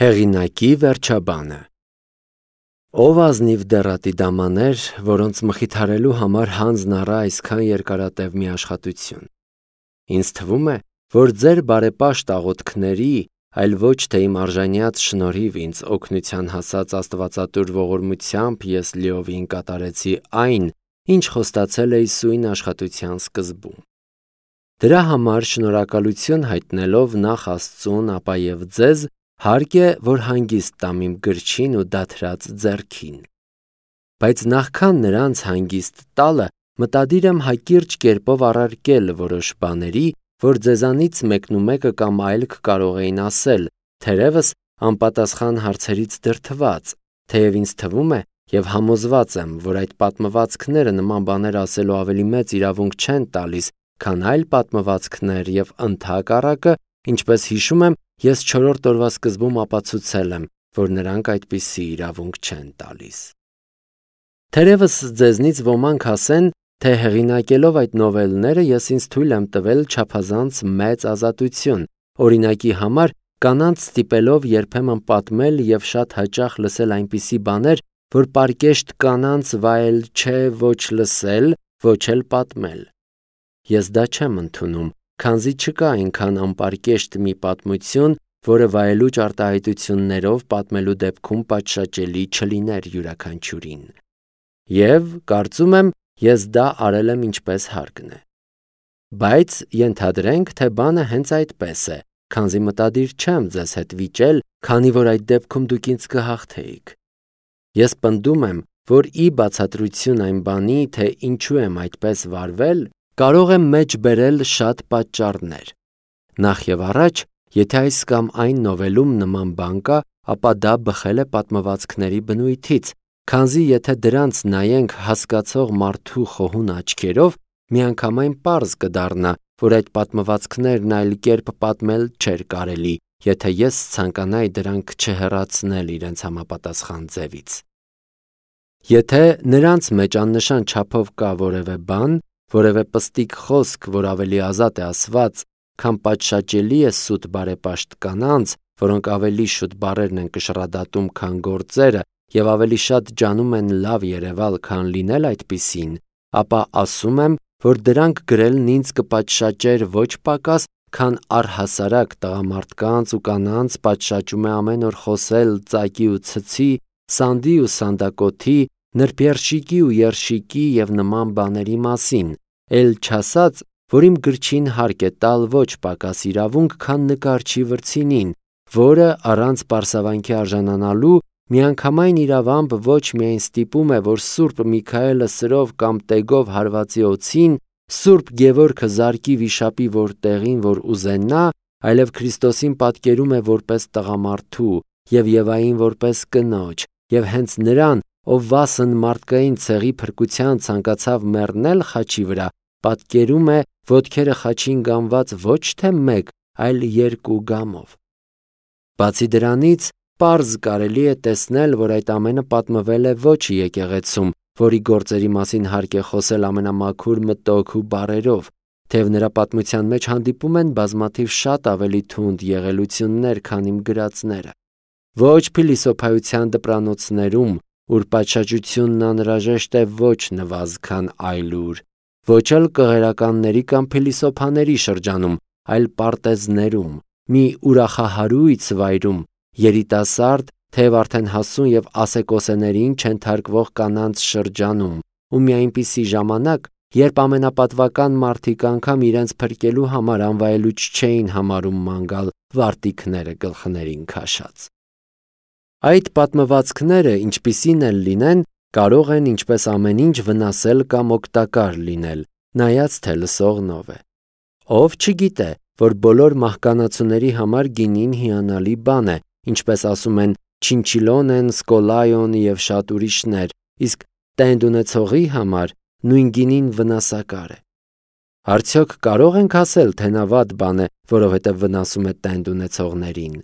Հեղինակի վերջաբանը։ Ով ազնիվ դեռատի դամաներ, որոնց մխիթարելու համար հանձն առա այսքան երկարատև մի աշխատություն։ Ինձ թվում է, որ ձեր բարեպաշտ աղոթքների, այլ ոչ թե իմ արժանյաց շնորհիվ ինձ օգնության հասած աստվածատուր ողորմությամբ ես լիովին կատարեցի այն, ինչ խոստացել էի սույն աշխատության սկզբում։ Դրա համար շնորհակալություն հայտնելով նախ Աստծուն, ապա եւ ձեզ, հարկ է, որ հանգիստ տամ իմ գրչին ու դաթրած ձեռքին։ Բայց նախքան նրանց հանգիստ տալը, մտադիր եմ հակիրճ կերպով առարկել որոշ բաների, որ ձեզանից մեկնումեկը կամ այլ կարող էին ասել, թերևս անպատասխան հարցերից դրդված, թեև ինձ թվում է եւ համոզված եմ, որ այդ պատմվածքները նման բաներ ասելու ավելի մեծ իրավունք չեն տալիս, քան այլ պատմվածքներ եւ ընդհակառակը, ինչպես հիշում եմ, ես 4-րդ օրվա սկզբում ապացուցել եմ, որ նրանք այդպիսի իրավունք չեն տալիս։ Թերևս ձեզնից ոմանք ասեն, թե հեղինակելով այդ նովելները ես ինձ թույլ եմ տվել չափազանց մեծ ազատություն, օրինակի համար կանանց ստիպելով երբեմն պատմել եւ շատ հաճախ լսել այնպիսի բաներ, որ պարկեշտ կանանց վայել չէ ոչ լսել, ոչ էլ պատմել։ Ես դա չեմ ընդունում, քանզի չկա այնքան անպարկեշտ մի պատմություն, որը վայելուչ արտահայտություններով պատմելու դեպքում պատշաճելի չլիներ յուրաքանչյուրին։ Եվ կարծում եմ, ես դա արել եմ ինչպես հարկն է։ Բայց ենթադրենք, թե բանը հենց այդպես է, քանզի մտադիր չեմ ձեզ հետ վիճել, քանի որ այդ դեպքում դուք ինձ կհաղթեիք։ Ես պնդում եմ, որ ի բացատրություն այն բանի, թե ինչու եմ այդպես վարվել, կարող եմ մեջ բերել շատ պատճառներ։ Նախ եւ առաջ, եթե այս կամ այն նովելում նման բան կա, ապա դա բխել է պատմվածքների բնույթից, քանզի եթե դրանց նայենք հասկացող մարդու խոհուն աչքերով, միանգամայն պարզ կդառնա, որ այդ պատմվածքներն այլ կերպ պատմել չէր կարելի, եթե ես ցանկանայի դրանք չհեռացնել իրենց համապատասխան ձևից։ Եթե նրանց մեջ աննշան չափով կա որևէ բան, որևէ պստիկ խոսք, որ ավելի ազատ է ասված, քան պատշաճելի է սուտ բարեպաշտ կանանց, որոնք ավելի շուտ բառերն են կշռադատում, քան գործերը, եւ ավելի շատ ջանում են լավ երևալ, քան լինել այդպիսին, ապա ասում եմ, որ դրանք գրելն ինձ կպատշաճեր ոչ պակաս, քան առհասարակ տղամարդկանց ու կանանց պատշաճում է ամեն օր խոսել ծակի ու ցցի, սանդի ու սանդակոթի, նրբերշիկի ու երշիկի եւ նման բաների մասին, էլ չասած, որ իմ գրչին հարկ է տալ ոչ պակաս իրավունք, քան նկարչի վրձինին, որը առանց պարսավանքի արժանանալու միանգամայն իրավամբ ոչ միայն ստիպում է, որ Սուրբ Միքայելը սրով կամ տեգով հարվածի օձին, Սուրբ Գևորգը զարկի վիշապի որտեղին, որ ուզենա, այլև Քրիստոսին պատկերում է որպես տղամարդու եւ Եվային որպես կնոջ, եւ հենց նրան, ով վասն մարդկային ցեղի փրկության ցանկացավ մեռնել խաչի վրա, պատկերում է ոտքերը խաչին գամված ոչ թե մեկ, այլ երկու գամով։ Բացի դրանից, պարզ կարելի է տեսնել, որ այդ ամենը պատմվել է ոչ եկեղեցում, որի գործերի մասին հարկ է խոսել ամենամաքուր մտոք ու բառերով, թեև նրա պատմության մեջ հանդիպում են բազմաթիվ շատ ավելի թունդ եղելություններ, քան իմ գրածները։ Ոչ փիլիսոփայության դպրանոցներում, ուր պատշաճությունն անհրաժեշտ է ոչ նվազ, քան այլուր, ոչ էլ կղերականների կամ փիլիսոփաների շրջանում, այլ պարտեզներում, մի ուրախահարույց վայրում, երիտասարդ, թեև արդեն հասուն եւ ասեկոսեներին չենթարկվող կանանց շրջանում, ու մի այնպիսի ժամանակ, երբ ամենապատվական մարդիկ անգամ իրենց փրկելու համար անվայելուչ չէին համարում մանգալ վարտիքները գլխներին քաշած։ Այդ պատմվածքները, ինչպիսին էլ լինեն, կարող են ինչպես ամեն ինչ վնասել կամ օգտակար լինել, նայած թե լսողնով է։ Ով չգիտե, որ բոլոր մահկանացուների համար գինին հիանալի բան է, ինչպես ասում են Չինչիլոնեն, Սկոլայոն եւ շատ ուրիշներ, իսկ տենդ ունեցողի համար նույն գինին վնասակար է։ Արդյոք կարող ենք ասել, թե նա վատ բան է, որովհետև վնասում է տենդ ունեցողներին։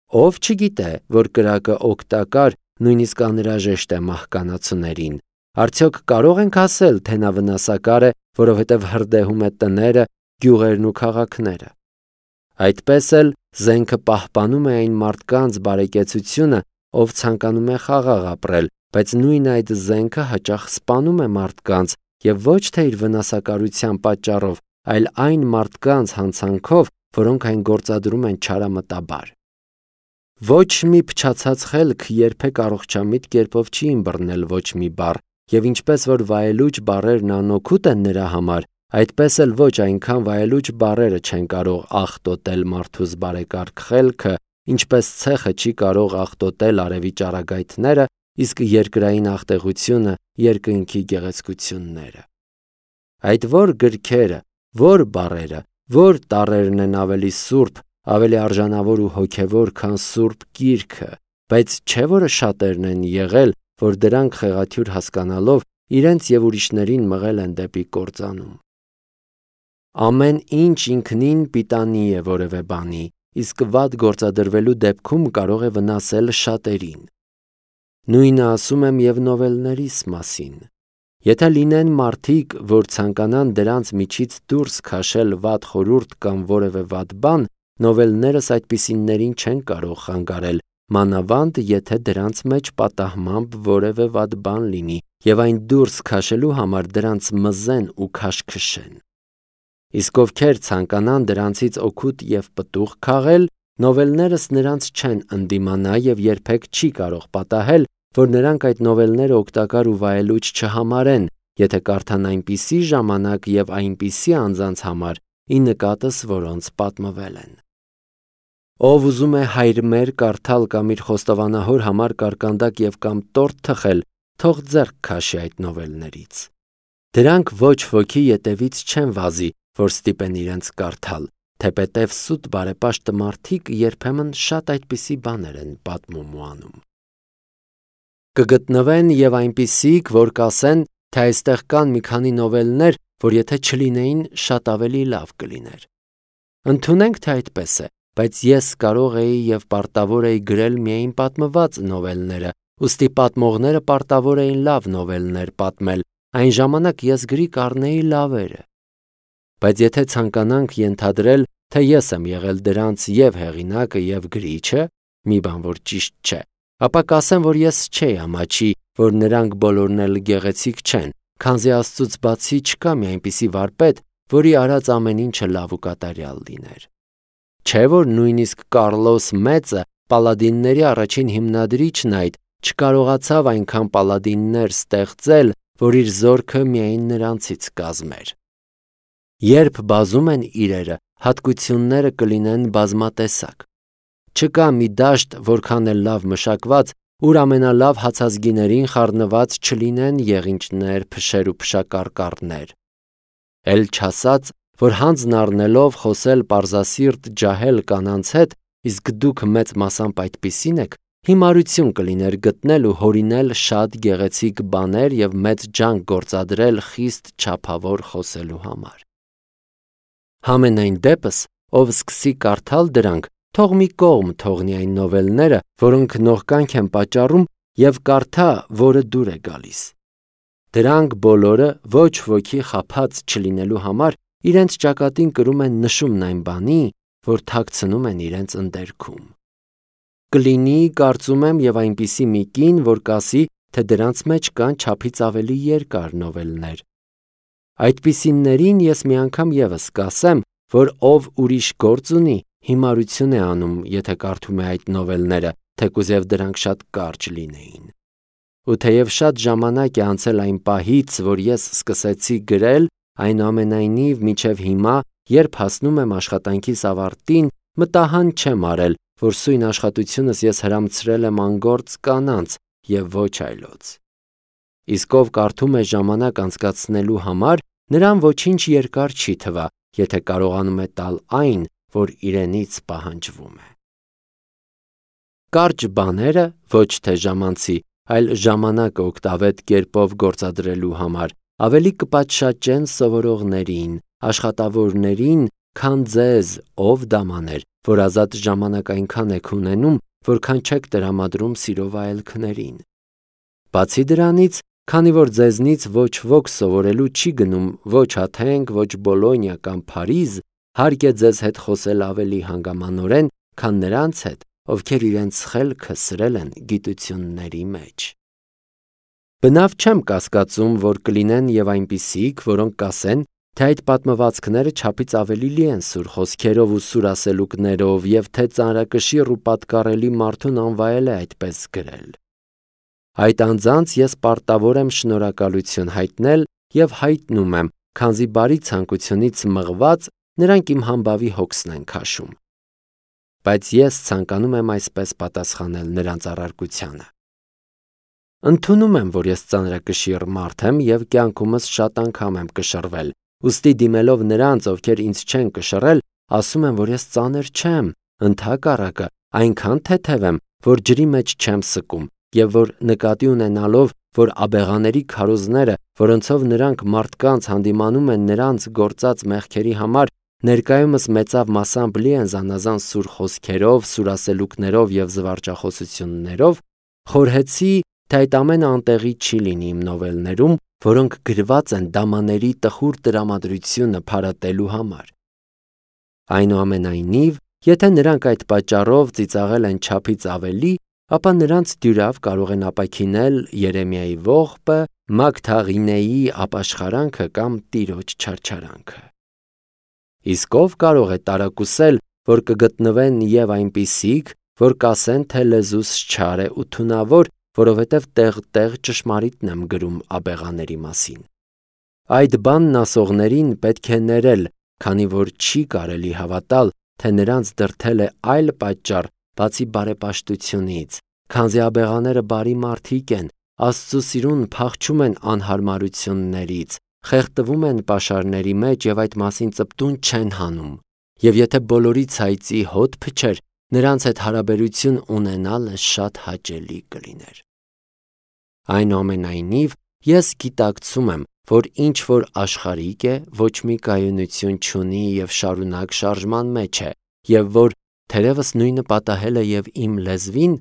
Ով չգիտե, որ կրակը օգտակար, նույնիսկ անհրաժեշտ է մահկանացուներին։ Արդյոք կարող ենք ասել, թե նա վնասակար է, որովհետև հրդեհում է տները, գյուղերն ու քաղաքները։ Այդպես էլ զենքը պահպանում է այն մարդկանց բարեկեցությունը, ով ցանկանում է խաղաղ ապրել, բայց նույն այդ զենքը հաճախ սպանում է մարդկանց եւ ոչ թե իր վնասակարության պատճառով, այլ այն մարդկանց հանցանքով, որոնք այն գործադրում են չարամտաբար։ Ոչ մի փչացած խելք երբեք առողջամիտ կերպով չի ըմբռնել ոչ մի բառ, եւ ինչպես որ վայելուչ բառերն անօգուտ են նրա համար, այդպես էլ ոչ այնքան վայելուչ բառերը չեն կարող աղտոտել մարդուս բարեկարգ խելքը, ինչպես ցեխը չի կարող աղտոտել արևի ճառագայթները, իսկ երկրային աղտեղությունը երկնքի գեղեցկությունները։ Այդ որ գրքերը, որ բառերը, որ տառերն են ավելի սուրբ, ավելի արժանավոր ու հոգևոր, քան սուրբ գիրքը, բայց չէ որը շատերն են եղել, որ դրանք խեղաթյուրը հասկանալով իրենց եւ ուրիշներին մղել են դեպի կործանում։ Ամեն ինչ ինքնին պիտանի է որևէ բանի, իսկ վատ գործադրվելու դեպքում կարող է վնասել շատերին։ Նույնը ասում եմ եւ նովելներիս մասին։ Եթե լինեն մարդիկ, որ ցանկանան դրանց միջից դուրս քաշել վատ խորհուրդ կամ որևէ վատ բան, նովելներս այդպիսիններին չեն կարող խանգարել, մանավանդ եթե դրանց մեջ պատահմամբ որևէ վատ բան լինի եւ այն դուրս քաշելու համար դրանց մզեն ու քաշքշեն։ Իսկ ովքեր ցանկանան դրանցից օգուտ եւ պտուղ քաղել, նովելներս նրանց չեն ընդդիմանա եւ երբեք չի կարող պատահել, որ նրանք այդ նովելները օգտակար ու վայելուչ չհամարեն, եթե կարդան այնպիսի ժամանակ եւ այնպիսի անձանց համար, ի նկատս որոնց պատմվել են։ Ով ուզում է հայր մեր կարդալ կամ իր խոստովանահոր համար կարկանդակ եւ կամ տորթ թխել, թող ձեռք քաշի այդ նովելներից։ Դրանք ոչ ոքի ետևից չեն վազի, որ ստիպեն իրենց կարդալ, թեպետև սուտ բարեպաշտ մարդիկ երբեմն շատ այդպիսի բաներ են պատմում ու անում։ Կգտնվեն եւ այնպիսիք, որ կասեն, թե այստեղ կան մի քանի նովելներ, որ եթե չլինեին, շատ ավելի լավ կլիներ։ Ընդունենք, թե այդպես է, բայց ես կարող էի եւ պարտավոր էի գրել միայն պատմված նովելները, ուստի պատմողները պարտավոր էին լավ նովելներ պատմել, այն ժամանակ ես գրի կառնեի լավերը։ Բայց եթե ցանկանանք ենթադրել, թե ես եմ եղել դրանց եւ հեղինակը եւ գրիչը, մի բան որ ճիշտ չէ, ապա կասեմ, որ ես չէի ամաչի, որ նրանք բոլորն էլ գեղեցիկ չեն, քանզի Աստծուց բացի չկա մի այնպիսի վարպետ, որի արած ամեն ինչը լավ ու կատարյալ լիներ։ Չէ որ նույնիսկ Կարլոս Մեծը, պալադինների առաջին հիմնադրիչն այդ, չկարողացավ այնքան պալադիններ ստեղծել, որ իր զորքը միայն նրանցից կազմեր։ Երբ բազում են իրերը, հատկությունները կլինեն բազմատեսակ։ Չկա մի դաշտ, որքան էլ լավ մշակված, ուր ամենալավ հացազգիներին խառնված չլինեն եղինջներ, փշեր ու փշակարկառներ։ Էլ չասած, որ հանձն առնելով խոսել պարզասիրտ ջահել կանանց հետ, իսկ դուք մեծ մասամբ այդպիսին եք, հիմարություն կլիներ գտնել ու հորինել շատ գեղեցիկ բաներ եւ մեծ ջանք գործադրել խիստ չափավոր խոսելու համար։ Համենայն դեպս, ով սկսի կարդալ դրանք, թող մի կողմ թողնի այն նովելները, որոնք նողկանք են պատճառում եւ կարդա, որը դուր է գալիս։ Դրանք բոլորը ոչ ոքի խափած չլինելու համար իրենց ճակատին կրում են նշումն այն բանի, որ թաքցնում են իրենց ընդերքում։ Կլինի, կարծում եմ, եւ այնպիսի մի կին, որ կասի, թե դրանց մեջ կան չափից ավելի երկար նովելներ։ Այդպիսիններին ես մի անգամ եւս կասեմ, որ ով ուրիշ գործ ունի, հիմարություն է անում, եթե կարդում է այդ նովելները, թեկուզև դրանք շատ կարճ լինեին։ Ու թեև շատ ժամանակ է անցել այն պահից, որ ես սկսեցի գրել, այնուամենայնիվ մինչև հիմա, երբ հասնում եմ աշխատանքիս ավարտին, մտահան չեմ արել, որ սույն աշխատությունս ես հրամցրել եմ անգործ կանանց եւ ոչ այլոց։ Իսկ ով կարդում է ժամանակ անցկացնելու համար, նրան ոչինչ երկար չի թվա, եթե կարողանում է տալ այն, որ իրենից պահանջվում է։ Կարճ բաները ոչ թե ժամանցի, այլ ժամանակը օգտավետ կերպով գործադրելու համար ավելի կպատշաճեն սովորողներին, աշխատավորներին, քան ձեզ, ով դամաներ, որ ազատ ժամանակ այնքան եք ունենում, որքան չեք տրամադրում սիրո վայելքներին։ Բացի դրանից, քանի որ ձեզնից ոչ ոք սովորելու չի գնում ոչ Աթենք, ոչ Բոլոնիա կամ Փարիզ, հարկ է ձեզ հետ խոսել ավելի հանգամանորեն, քան նրանց հետ, ովքեր իրենց խելքը սրել են գիտությունների մեջ։ Բնավ չեմ կասկածում, որ կլինեն և այնպիսիք, որոնք կասեն, թե այդ պատմվածքները չափից ավելի լի են սուր խոսքերով ու սուրասելուկներով և թե ծանրակշիռ ու պատկառելի մարդուն անվայել է այդպես գրել։ Այդ անձանց ես պարտավոր եմ շնորհակալություն հայտնել և հայտնում եմ, քանզի բարի ցանկությունից մղված նրանք իմ համբավի հոգսն են քաշում։ Բայց ես ցանկանում եմ այսպես պատասխանել նրանց առարկությանը. Ընդունում եմ, որ ես ծանրակշիռ մարդ եմ և կյանքումս շատ անգամ եմ կշռվել, ուստի դիմելով նրանց, ովքեր ինձ չեն կշռել, ասում եմ, որ ես ծանր չեմ, ընդհակառակը, այնքան թեթև եմ, որ ջրի մեջ չեմ սկում, և որ նկատի ունենալով, որ աբեղաների քարոզները, որոնցով նրանք մարդկանց հանդիմանում են նրանց գործած մեղքերի համար, ներկայումս մեծավ մասամբ լի են զանազան սուր խոսքերով, սուրասելուկներով և զվարճախոսություններով, խորհեցի, թե այդ ամենը անտեղի չի լինի իմ նովելներում, որոնք գրված են դամաների տխուր տրամադրությունը փարատելու համար։ Այնուամենայնիվ, եթե նրանք այդ պատճառով ծիծաղել են չափից ավելի, ապա նրանց դյուրավ կարող են ապաքինել Երեմիայի ողբը, Մագդաղինեի ապաշխարանքը կամ Տիրոջ չարչարանքը։ Իսկ ով կարող է տարակուսել, որ կգտնվեն և այնպիսիք, որ կասեն, թե լեզուս չար է ու թունավոր, որովհետև տեղ-տեղ ճշմարիտն եմ գրում աբեղաների մասին։ Այդ բանն ասողներին պետք է ներել, քանի որ չի կարելի հավատալ, թե նրանց դրդել է այլ պատճառ, բացի բարեպաշտությունից, քանզի աբեղաները բարի մարդիկ են, Աստծու սիրուն փախչում են անհարմարություններից, խեղդվում են պաշարների մեջ և այդ մասին ծպտուն չեն հանում, և եթե բոլորի ցայծի հոտ փչեր, նրանց հետ հարաբերություն ունենալը շատ հաճելի կլիներ։ Այնուամենայնիվ, ես գիտակցում եմ, որ ինչ որ աշխարհիկ է, ոչ մի կայունություն չունի և շարունակ շարժման մեջ է, և որ թերևս նույնը պատահել է և իմ լեզվին,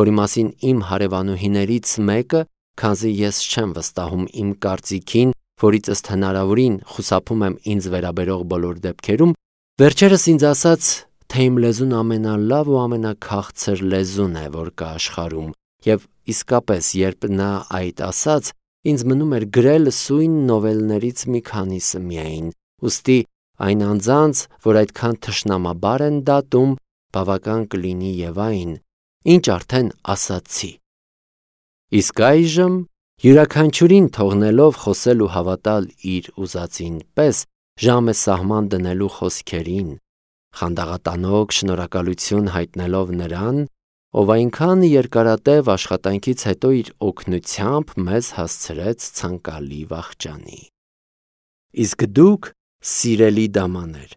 որի մասին իմ հարևանուհիներից մեկը, քանզի ես չեմ վստահում իմ կարծիքին, որից ըստ հնարավորին խուսափում եմ ինձ վերաբերող բոլոր դեպքերում, վերջերս ինձ ասաց, թե իմ լեզուն ամենալավ ու ամենաքաղցր լեզուն է, որ կա աշխարհում, և իսկապես, երբ նա այդ ասաց, ինձ մնում էր գրել սույն նովելներից մի քանիսը միայն, ուստի այն անձանց, որ այդքան թշնամաբար են դատում, բավական կլինի և այն, ինչ արդեն ասացի։ Իսկ այժմ, յուրաքանչյուրին թողնելով խոսել ու հավատալ իր ուզածին պես, ժամ է սահման դնելու խոսքերին, խանդաղատանոք շնորհակալություն հայտնելով նրան, ով այնքան երկարատև աշխատանքից հետո իր օգնությամբ մեզ հասցրեց ցանկալի վախճանի։ Իսկ դուք, սիրելի դամաներ,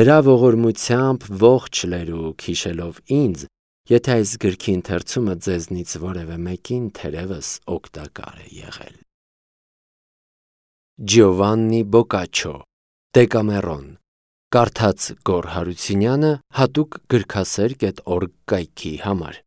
նրա ողորմությամբ ողջ լերուկ հիշելով ինձ, եթե այս գրքի ընթերցումը ձեզնից որևէ մեկին թերևս օգտակար է եղել։ Ջիովաննի Բոկաչո, Դեկամերոն, կարդաց Գոռ Հարությունյանը հատուկ գրքասեր.org կայքի համար։